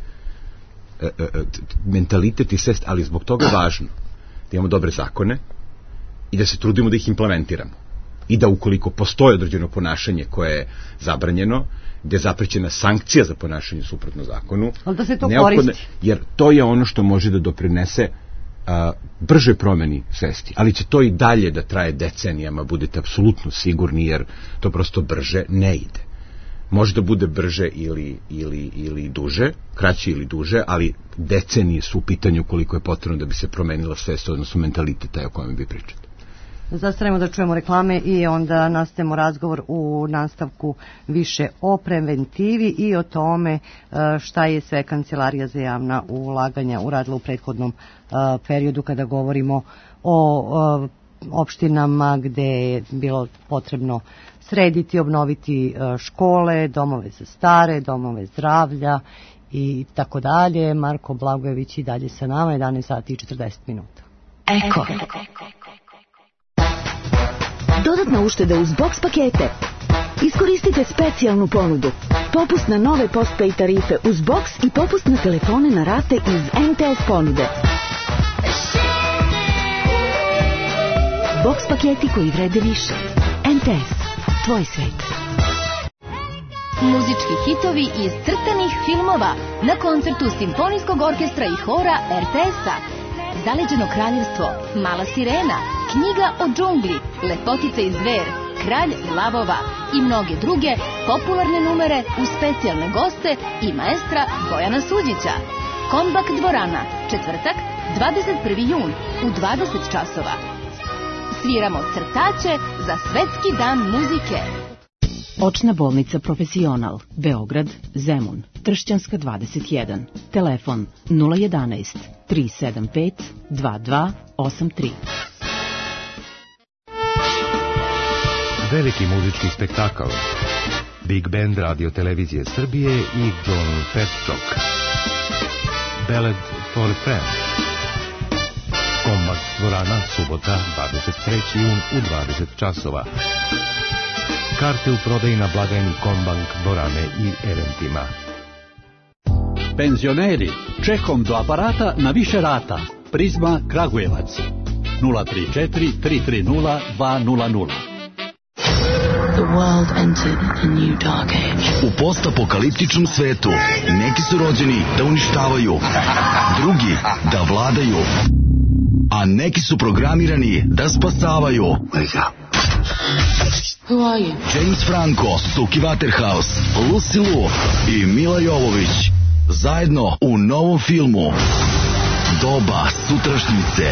Speaker 5: mentalitet i svest, ali zbog toga je važno da imamo dobre zakone i da se trudimo da ih implementiramo i da ukoliko postoji određeno ponašanje koje je zabranjeno, gde je zaprećena sankcija za ponašanje suprotno zakonu,
Speaker 4: ali da se to koristi,
Speaker 5: jer to je ono što može da doprinese brže promeni svesti, ali će to i dalje da traje decenijama, budete apsolutno sigurni, jer to prosto brže ne ide. Može da bude brže ili duže, kraće ili duže, ali decenije su u pitanju koliko je potrebno da bi se promenila svest, odnosno mentalitet taj o kojem vi pričate.
Speaker 4: Zastanemo da čujemo reklame i onda nastavimo razgovor u nastavku više o preventivi i o tome šta je sve Kancelarija za javna ulaganja uradila u prethodnom periodu kada govorimo o opštinama gde je bilo potrebno srediti, obnoviti škole, domove za stare, domove zdravlja i tako dalje. Marko Blagojević i dalje sa nama, 11 sati i 40 minuta.
Speaker 9: Eko. Dodatna ušteda uz box pakete. Iskoristite specijalnu ponudu. Popust na nove postpay tarife uz box i popust na telefone na rate iz MTS ponude. Box paketi koji vrede više. MTS. Tvoj svet.
Speaker 10: Muzički hitovi iz crtanih filmova na koncertu Simfonijskog orkestra i hora RTS-a. Zaleđeno kraljevstvo, Mala sirena, Knjiga o džungli, Lepotica i zver, Kralj lavova i mnoge druge popularne numere uz specijalne goste i maestra Bojana Suđića. Kombak dvorana, četvrtak, 21. jun u 20 časova. Sviramo crtače za Svetski dan muzike.
Speaker 11: Očna bolnica Profesional, Beograd, Zemun, Tršćanska 21, telefon 011 375 2283.
Speaker 12: Veliki muzički spektakl, Big Band Radio Televizije Srbije i John Petchok, Ballad for a Friend. Kombak dvorana, subota, 23. jun u 20 časova. Karte u prodaji na blagajni Kombank dvorane i eventima.
Speaker 13: Penzioneri, čekom do aparata na više rata. Prizma Kragujevac 034 330 200.
Speaker 14: The world entered a new dark age.
Speaker 15: U postapokaliptičnom svetu neki su rođeni da uništavaju, drugi da vladaju, a neki su programirani da spasavaju. Wake up.
Speaker 14: Who are you?
Speaker 15: James Franco, Suki Waterhouse, Lucy Liu i Mila Jovović zajedno u novom filmu Doba sutrašnjice.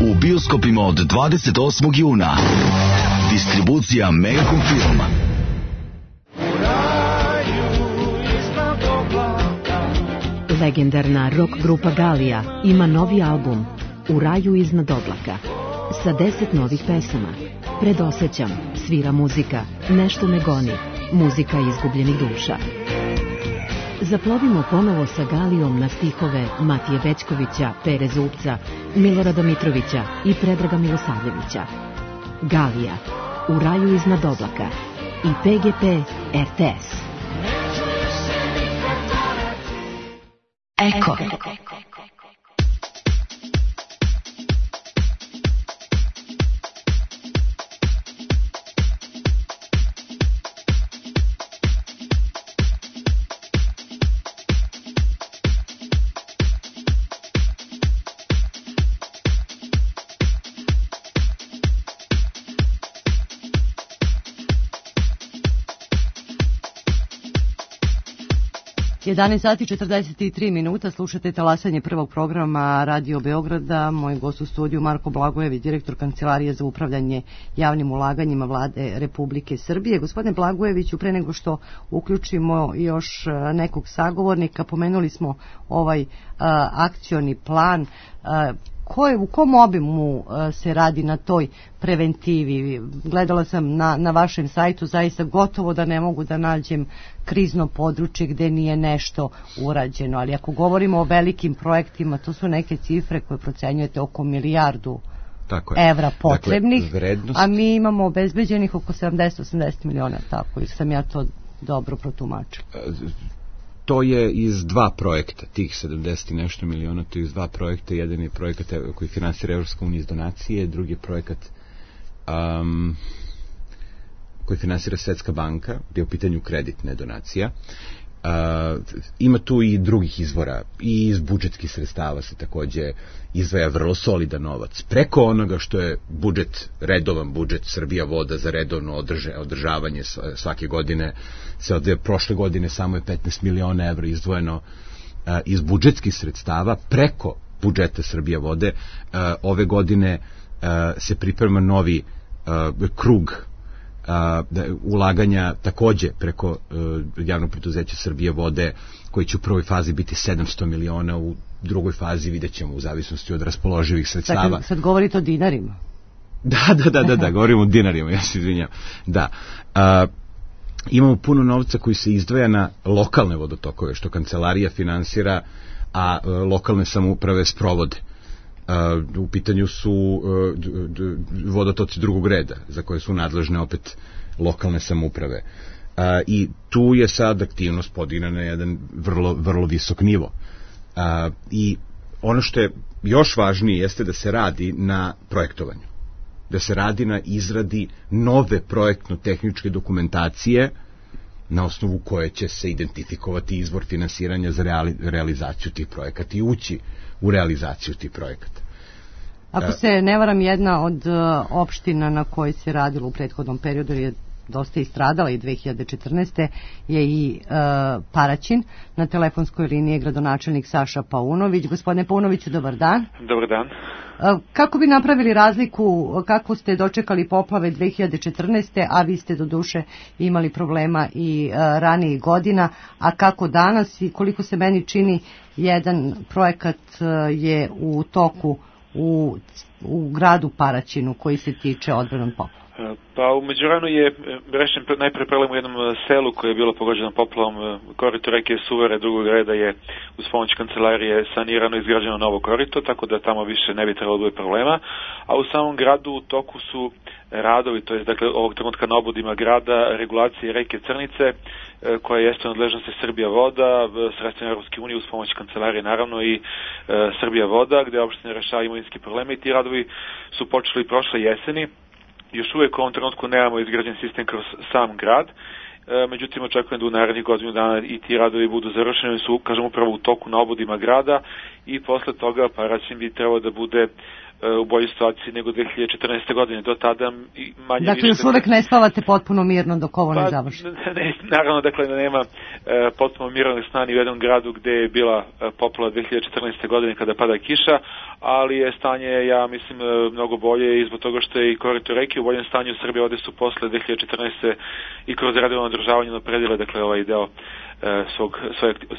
Speaker 15: U bioskopima od 28. juna. Distribucija Megacom Film.
Speaker 11: Legendarna rock grupa Galija ima novi album U raju iznad oblaka sa 10 novih pesama. Predosećam, svira muzika, nešto me goni, muzika izgubljenih duša. Zaplovimo ponovo sa Galijom na stihove Matije Bećkovića, Pere Zupca, Milorada Mitrovića i Predraga Milosavljevića. Galija, U raju iznad oblaka i PGP RTS.
Speaker 9: Eko.
Speaker 4: Jedanaest sati 43 minuta, slušate talasanje prvog programa Radio Beograda. Moj gost u studiju Marko Blagojević, direktor Kancelarije za upravljanje javnim ulaganjima Vlade Republike Srbije. Gospodine Blagojeviću, pre nego što uključimo još nekog sagovornika, pomenuli smo ovaj akcioni plan. U kom obimu se radi na toj preventivi? Gledala sam na vašem sajtu, zaista gotovo da ne mogu da nađem krizno područje gde nije nešto urađeno, ali ako govorimo o velikim projektima, to su neke cifre koje procenjujete oko milijardu evra potrebnih, a mi imamo obezbeđenih oko 70-80 miliona, tako, ili sam ja to dobro protumačila?
Speaker 5: To je iz dva projekta, tih 70 i nešto miliona, to je iz dva projekta. Jedan je projekat koji finansira Evropska unija iz donacije, drugi je projekat koji finansira Svetska banka, gdje je u pitanju kreditne donacija. Ima tu i drugih izvora, i iz budžetskih sredstava se takođe izdvaja vrlo solidan novac. Preko onoga što je budžet, redovan budžet Srbija voda za redovno održavanje svake godine, se odvaja. Prošle godine samo je 15 miliona evra izdvojeno iz budžetskih sredstava preko budžeta Srbija vode. Ove godine se priprema novi krug ulaganja takođe preko javnog preduzeća Srbije vode, koji će u prvoj fazi biti 700 miliona, u drugoj fazi vidjet ćemo u zavisnosti od raspoloživih sredstava.
Speaker 4: Dakle, sad govorite o dinarima.
Speaker 5: Da, govorimo o dinarima, ja se izvinjam. Da. Imamo puno novca koji se izdvaja na lokalne vodotokove, što kancelarija finansira, a lokalne samouprave sprovode. U pitanju su vodotoci drugog reda, za koje su nadležne opet lokalne samouprave. I tu je sad aktivnost podigna na jedan vrlo visok nivo. I ono što je još važnije jeste da se radi na projektovanju, da se radi na izradi nove projektno-tehničke dokumentacije na osnovu koje će se identifikovati izvor finansiranja za realizaciju tih projekata i ući u realizaciju tih projekata.
Speaker 4: Ako se ne varam, jedna od opština na kojoj se radilo u prethodnom periodu je dosta istradala i 2014. je i Paraćin. Na telefonskoj liniji je gradonačelnik Saša Paunović. Gospodine Paunoviću, dobar dan.
Speaker 16: Dobar dan.
Speaker 4: Kako bi napravili razliku, kako ste dočekali poplave 2014. a vi ste doduše imali problema i ranijih godina, a kako danas i koliko se meni čini jedan projekat je u toku u gradu Paraćinu koji se tiče odbrane od poplava?
Speaker 16: Pa u međuvremenu je rešen najpre problem u jednom selu koje je bilo pogođeno poplavom. Korito reke Suvere drugog reda je uz pomoć kancelarije sanirano i izgrađeno novo korito, tako da tamo više ne bi trebalo da bude problema. A u samom gradu u toku su radovi, to je dakle ovog trenutka na obodima grada, regulacije reke Crnice, koja jeste u nadležnosti Srbija voda, sredstvima Europske unije uz pomoć kancelarije naravno i Srbija voda, gde opštine rešavaju imovinski probleme i ti radovi su počeli prošle jeseni. Još uvijek u ovom trenutku nemamo izgrađen sistem kroz sam grad, međutim očekujem da u narednih godinu dana i ti radovi budu završeni, su, kažem, upravo u toku na obodima grada i posle toga Paraćin bi trebao da bude u boljoj situaciji nego 2014. godine. Do tada manje
Speaker 4: dakle, još uvek ne spavate potpuno mirno dok ovo ne završi?
Speaker 16: Naravno, dakle, da nema potpuno mirnog sna ni u jednom gradu gde je bila poplava 2014. godine kada pada kiša, ali je stanje, ja mislim, mnogo bolje i zbog toga što je i korito reke u boljem stanju. Srbije vode su posle 2014. i kroz redovno održavanje napredile, dakle, ovaj deo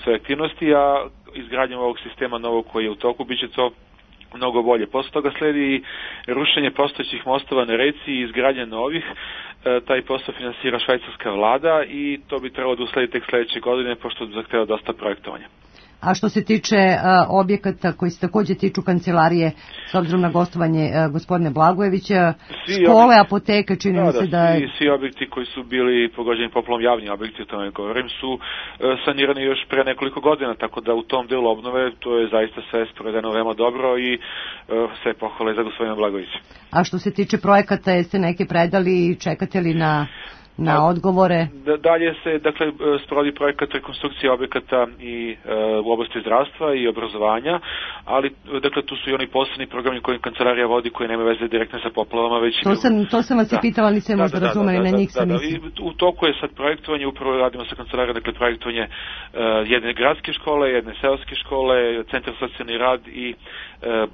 Speaker 16: svoje aktivnosti, a izgradnjom ovog sistema novog koji je u toku biće to mnogo bolje. Posle toga sledi rušenje postojećih mostova na reci i izgradnja novih. Taj posao finansira švajcarska vlada i to bi trebalo da usledi tek sledeće godine, pošto zahteva dosta projektovanja.
Speaker 4: A što se tiče objekata koji se takođe tiču kancelarije, s obzirom na gostovanje gospodine Blagojevića, škole, apoteke, čini mi se da je...
Speaker 16: Svi objekti koji su bili pogođeni poplavom, javni objekti, o tome govorim, su sanirani još pre nekoliko godina, tako da u tom delu obnove to je zaista sve sprovedeno veoma dobro i sve pohvale za gospodina Blagojevića.
Speaker 4: A što se tiče projekata, jeste neke predali i čekate li na odgovore?
Speaker 16: Dalje se, dakle, sprovodi projekat rekonstrukcije objekata i u oblasti zdravstva i obrazovanja, ali, dakle, tu su i oni posebni programi koje kancelarija vodi, koji nema veze direktno sa poplavama, već...
Speaker 4: To sam vas i pitala, nisam možda razumeli, na njih sam mislim.
Speaker 16: U toku je sad projektovanje, upravo radimo sa kancelarijom, dakle, projektovanje jedne gradske škole, jedne seoske škole, centar socijalni rad i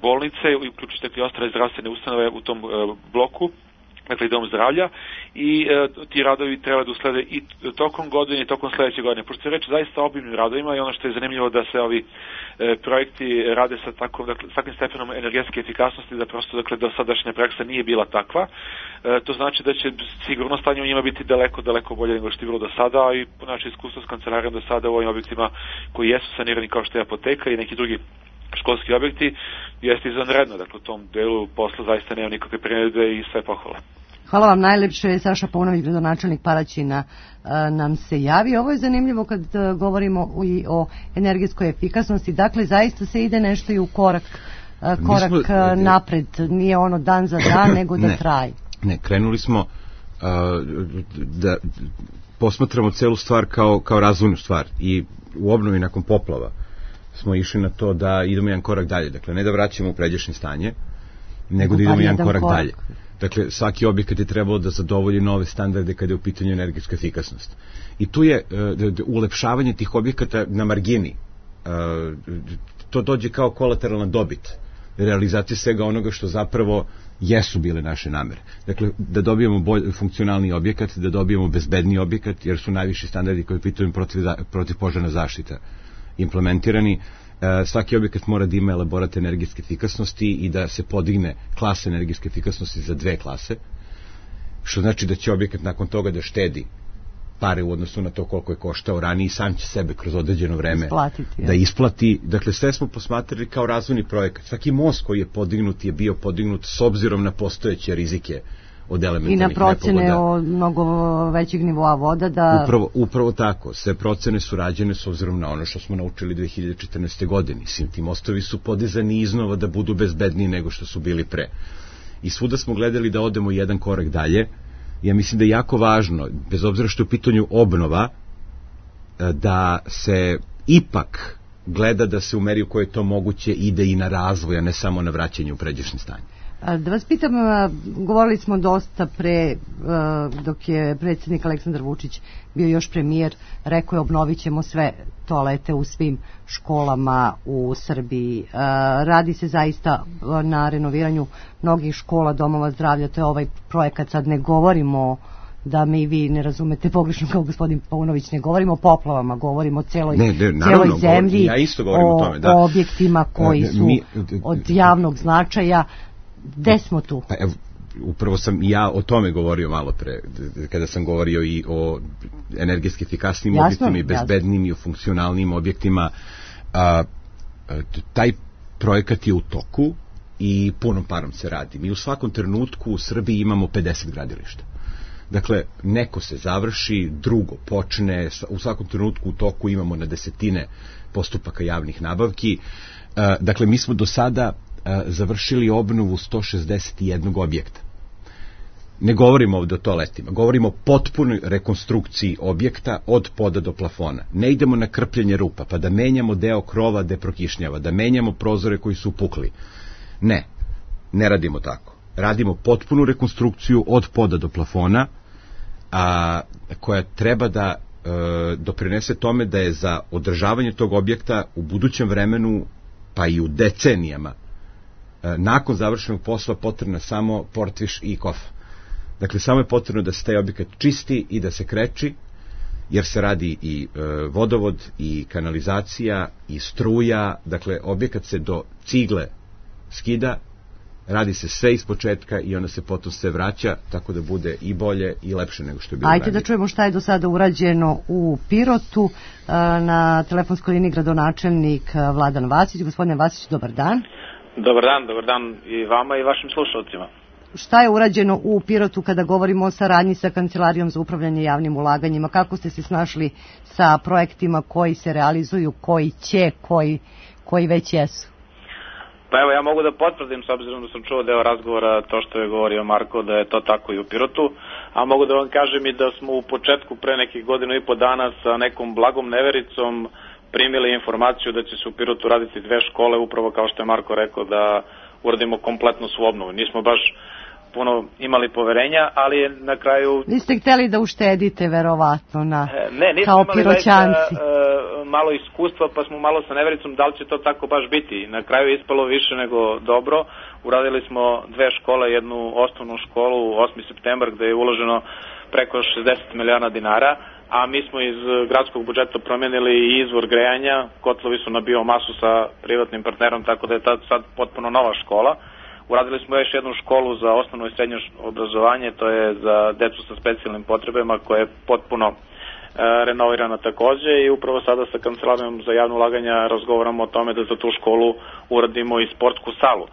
Speaker 16: bolnice, uključujući i ostale zdravstvene ustanove u tom bloku, dakle i dom zdravlja, i ti radovi treba da uslede i tokom godine i tokom sledeće godine. Pošto se reči zaista obimnim radovima i ono što je zanimljivo da se ovi projekti rade sa takvim stepenom energetske efikasnosti, da prosto, dakle, dosadašnja praksa nije bila takva. To znači da će sigurno stanje u njima biti daleko bolje nego što je bilo do sada, i po naše iskustvo s kancelarijom do sada u ovim objektima koji jesu sanirani kao što je apoteka i neki drugi školski objekti, jeste izvanredno. Dakle, u tom delu posla zaista nema nikakve primjedbe i sve pohvale.
Speaker 4: Hvala vam najlepše. Saša Paunović, gradonačelnik Paraćina, nam se javi. Ovo je zanimljivo kad govorimo i o energetskoj efikasnosti. Dakle, zaista se ide nešto i u korak napred. Nije ono dan za dan, nego da traje.
Speaker 5: Ne, krenuli smo da posmatramo celu stvar kao razvojnu stvar, i u obnovi nakon poplava smo išli na to da idemo jedan korak dalje. Dakle, ne da vraćamo u pređašnje stanje, nego da idemo jedan korak dalje. Dakle, svaki objekat je trebalo da zadovolji nove standarde kada je u pitanju energetska efikasnost. I tu je ulepšavanje tih objekata na margini. To dođe kao kolateralna dobit realizacija svega onoga što zapravo jesu bile naše namere. Dakle, da dobijemo funkcionalni objekat, da dobijemo bezbedni objekat, jer su najviši standardi koji pitaju protivpožarna zaštita implementirani. Svaki objekat mora da ima elaborat energetske efikasnosti i da se podigne klasa energetske efikasnosti za 2 klase, što znači da će objekat nakon toga da štedi pare u odnosu na to koliko je koštao ranije i sam će sebe kroz određeno vreme da isplati. Dakle, sve smo posmatrali kao razvojni projekat. Svaki most koji je podignut je bio podignut s obzirom na postojeće rizike od elementarnih nepogoda.
Speaker 4: I na procene o mnogo većeg nivoa voda da...
Speaker 5: Upravo tako. Sve procene su rađene s obzirom na ono što smo naučili 2014. godine. Ti mostovi su podizani iznova da budu bezbedniji nego što su bili pre. I svuda smo gledali da odemo jedan korak dalje. Ja mislim da je jako važno, bez obzira što je u pitanju obnova, da se ipak gleda da se u meri u kojoj je to moguće ide i na razvoj, a ne samo na vraćanje u pređašnje stanje.
Speaker 4: Da vas pitam, govorili smo dosta pre, dok je predsjednik Aleksandar Vučić bio još premijer, rekao je obnovit ćemo sve toalete u svim školama u Srbiji. Radi se zaista na renoviranju mnogih škola, domova zdravlja, to je ovaj projekat, sad ne govorimo da mi vi ne razumete pogrešno kao gospodin Paunović, ne govorimo o poplavama, govorimo o celoj zemlji,
Speaker 5: ja isto govorim o tome,
Speaker 4: o objektima koji su od javnog značaja. Gde smo tu?
Speaker 5: Pa evo, upravo sam ja o tome govorio malo pre, kada sam govorio i o energetski efikasnim objektima i bezbednim i o funkcionalnim objektima. Taj projekat je u toku i punom parom se radi. Mi u svakom trenutku u Srbiji imamo 50 gradilišta. Dakle, neko se završi, drugo počne, u svakom trenutku u toku imamo na desetine postupaka javnih nabavki. Dakle, mi smo do sada završili obnovu 161 objekta. Ne govorimo ovdje o toaletima, govorimo o potpunoj rekonstrukciji objekta od poda do plafona. Ne idemo na krpljenje rupa, pa da menjamo deo krova gde prokišnjava, da menjamo prozore koji su pukli. Ne radimo tako. Radimo potpunu rekonstrukciju od poda do plafona, koja treba da doprinese tome da je za održavanje tog objekta u budućem vremenu, pa i u decenijama, nakon završenog posla potrebna samo portviš i kofa. Dakle, samo je potrebno da se taj objekat čisti i da se kreči, jer se radi i vodovod, i kanalizacija, i struja. Dakle, objekat se do cigle skida, radi se sve iz početka i onda se potom sve vraća, tako da bude i bolje i lepše nego što je bilo ranije.
Speaker 4: Ajde da čujemo šta je do sada urađeno u Pirotu. Na telefonskoj liniji gradonačelnik Vladan Vasić. Gospodine Vasić, dobar dan.
Speaker 7: Dobar dan i vama i vašim slušalcima.
Speaker 4: Šta je urađeno u Pirotu kada govorimo o saradnji sa Kancelarijom za upravljanje javnim ulaganjima? Kako ste se snašli sa projektima koji se realizuju, koji će, koji već jesu?
Speaker 7: Pa evo, ja mogu da potvrdim, s obzirom da sam čuo deo razgovora, to što je govorio Marko, da je to tako i u Pirotu, a mogu da vam kažem i da smo u početku pre nekih 1.5 godina sa nekom blagom nevericom primili informaciju da će se u Pirotu raditi 2 škole, upravo kao što je Marko rekao, da uradimo kompletnu svu obnovu. Nismo baš puno imali poverenja, ali je na kraju...
Speaker 4: Niste hteli da uštedite, verovatno, kao Piroćanci.
Speaker 7: Malo iskustva, pa smo malo sa nevericom da li će to tako baš biti. Na kraju je ispalo više nego dobro. Uradili smo 2 škole, jednu osnovnu školu, 8. septembar, gde je uloženo preko 60 miliona dinara, a mi smo iz gradskog budžeta promenili i izvor grejanja, kotlovi su na biomasu sa privatnim partnerom, tako da je sad potpuno nova škola. Uradili smo još jednu školu za osnovno i srednje obrazovanje, to je za decu sa specijalnim potrebama, koja je potpuno renovirana takođe, i upravo sada sa Kancelarijom za javno ulaganja razgovaramo o tome da za tu školu uradimo i sportsku salu.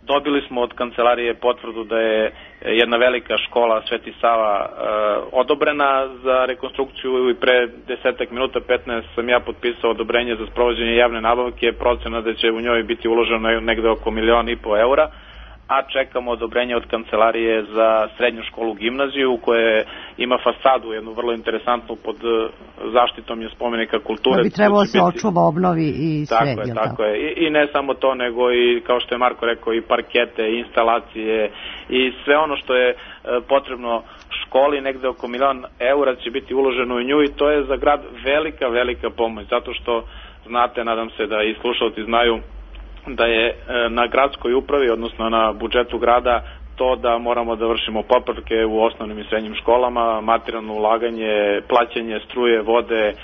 Speaker 7: Dobili smo od Kancelarije potvrdu da je jedna velika škola Sveti Sava odobrena za rekonstrukciju i pre 10 minuta, 15 sam ja potpisao odobrenje za sprovođenje javne nabavke, procena da će u njoj biti uloženo negde oko 1,5 miliona eura, a čekamo odobrenje od Kancelarije za srednju školu gimnaziju, koja ima fasadu, jednu vrlo interesantnu, pod zaštitom je spomenika kulture.
Speaker 4: Da bi trebalo se očuva, obnovi i sve.
Speaker 7: Tako je. I ne samo to, nego i, kao što je Marko rekao, i parkete, i instalacije, i sve ono što je potrebno školi, negde oko 1 milion eura će biti uloženo u nju, i to je za grad velika pomoć, zato što znate, nadam se da i slušalci znaju,
Speaker 17: da je na gradskoj upravi, odnosno na budžetu grada, to da moramo da vršimo popravke u osnovnim i srednjim školama, materijalno ulaganje, plaćanje struje, vode,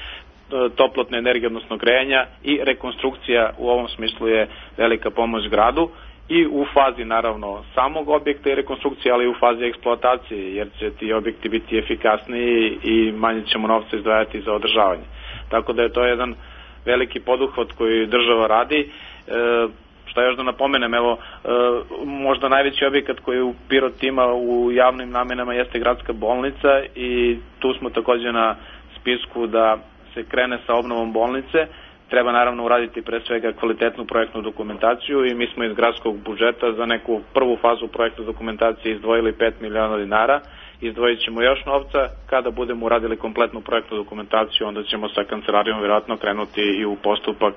Speaker 17: toplotne energije, odnosno grejanja, i rekonstrukcija u ovom smislu je velika pomoć gradu, i u fazi naravno samog objekta i rekonstrukcije, ali i u fazi eksploatacije, jer će ti objekti biti efikasniji i manje ćemo novca izdvajati za održavanje. Tako da je to jedan veliki poduhvat koji država radi. Šta još da napomenem, evo, možda najveći objekat koji u Pirot ima u javnim namenama jeste gradska bolnica, i tu smo takođe na spisku da se krene sa obnovom bolnice. Treba naravno uraditi pre svega kvalitetnu projektnu dokumentaciju, i mi smo iz gradskog budžeta za neku prvu fazu projektne dokumentacije izdvojili 5 miliona dinara. Izdvojit ćemo još novca. Kada budemo uradili kompletnu projektnu dokumentaciju, onda ćemo sa kancelarijom vjerojatno krenuti i u postupak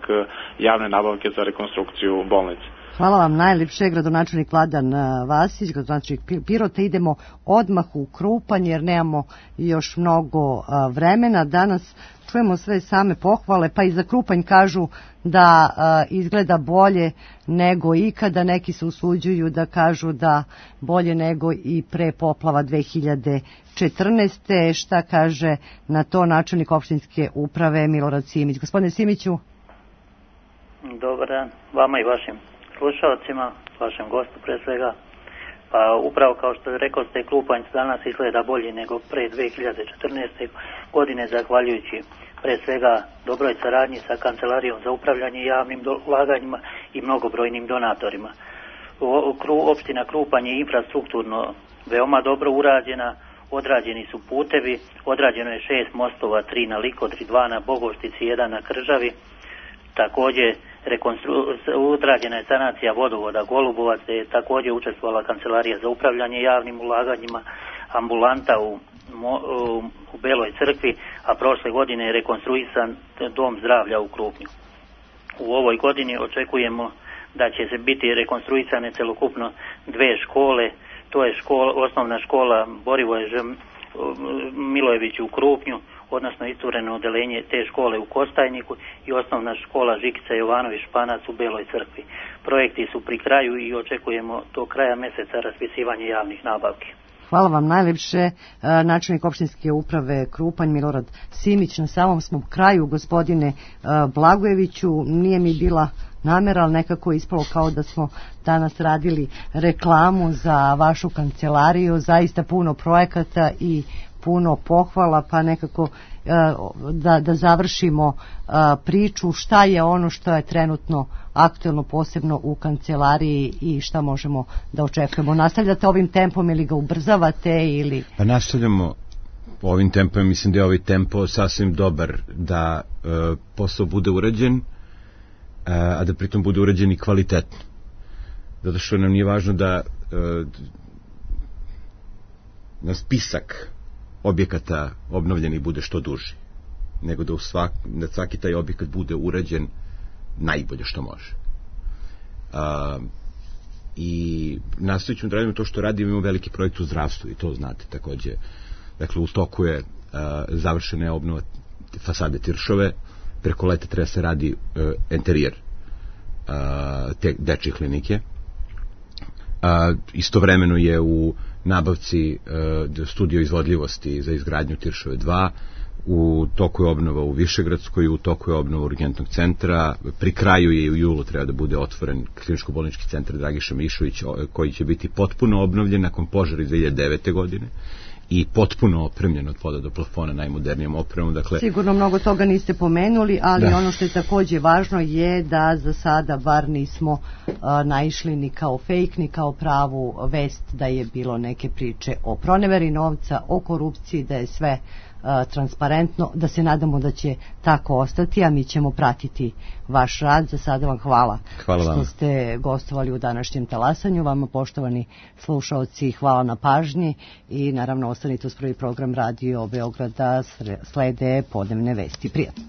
Speaker 17: javne nabavke za rekonstrukciju bolnice.
Speaker 4: Hvala vam najljepše, gradonačelnik Vladan Vasić, gradonačelnik Pirota. Idemo odmah u Krupanj jer nemamo još mnogo vremena. Danas čujemo sve same pohvale, pa i za Krupanj kažu da izgleda bolje nego ikada. Neki se usuđuju da kažu da bolje nego i pre poplava 2014. Šta kaže na to načelnik opštinske uprave Milorad Simić? Gospodine Simiću.
Speaker 18: Dobar dan vama i vašim slušalcima, vašem gostu pre svega. Pa upravo kao što rekao ste, Krupanj danas izgleda bolje nego pre 2014. godine, zahvaljujući pre svega dobroj saradnji sa Kancelarijom za upravljanje javnim ulaganjima i mnogobrojnim donatorima. Opština Krupanj je infrastrukturno veoma dobro urađena, odrađeni su putevi, odrađeno je 6 mostova, 3 na Likodri, 2 na Bogoštici, 1 na Kržavi. Također odrađena je sanacija vodovoda Golubovac, gdje je također učestvovala Kancelarija za upravljanje javnim ulaganjima, ambulanta u Beloj crkvi, a prošle godine je rekonstruisan dom zdravlja u Krupnju. U ovoj godini očekujemo da će se biti rekonstruisane celokupno 2 škole, to je osnovna škola Borivoje Milojević u Krupnju, odnosno istureno odelenje te škole u Kostajniku, i osnovna škola Žikica Jovanović Španac u Beloj crkvi. Projekti su pri kraju i očekujemo do kraja meseca raspisivanje javnih nabavki.
Speaker 4: Hvala vam najljepše, načelnik opštinske uprave Krupanj Milorad Simić. Na samom smo kraju, gospodine Blagojeviću, nije mi bila namera, ali nekako ispalo kao da smo danas radili reklamu za vašu kancelariju, zaista puno projekata i puno pohvala, pa nekako da završimo priču šta je ono što je trenutno aktuelno, posebno u kancelariji, i šta možemo da očekujemo. Nastavljate ovim tempom ili ga ubrzavate? Ili...
Speaker 5: Pa nastavljamo ovim tempom, mislim da je ovaj tempo sasvim dobar da posao bude urađen, a da pritom bude urađen i kvalitetno. Zato što nam nije važno da na spisak objekata obnovljeni bude što duži, nego da svaki taj objekat bude urađen najbolje što može. I nastavit ćemo da radimo to što radimo, imamo veliki projekt u zdravstvu i to znate takođe. Dakle, u toku je završena je obnova fasade Tiršove, preko leta treba se radi enterijer te dečje klinike. Istovremeno je u nabavci studio izvodljivosti za izgradnju Tiršove 2, u toku je obnova u Višegradskoj, u toku je obnova urgentnog centra, pri kraju je u julu treba da bude otvoren kliničko-bolnički centar Dragiša Mišović, koji će biti potpuno obnovljen nakon požara iz 2009. godine i potpuno opremljen od poda do plafona najmodernijom opremom. Dakle,
Speaker 4: sigurno mnogo toga niste pomenuli, ali ono što je takođe važno je da za sada bar nismo naišli ni kao fake, ni kao pravu vest da je bilo neke priče o proneveri novca, o korupciji, da je sve transparentno, da se nadamo da će tako ostati, a mi ćemo pratiti vaš rad. Za sada vam hvala što ste gostovali u današnjem talasanju. Vama, poštovani slušaoci, hvala na pažnji i naravno ostanite uz prvi program Radio Beograda, slede podnevne vesti. Prijatno.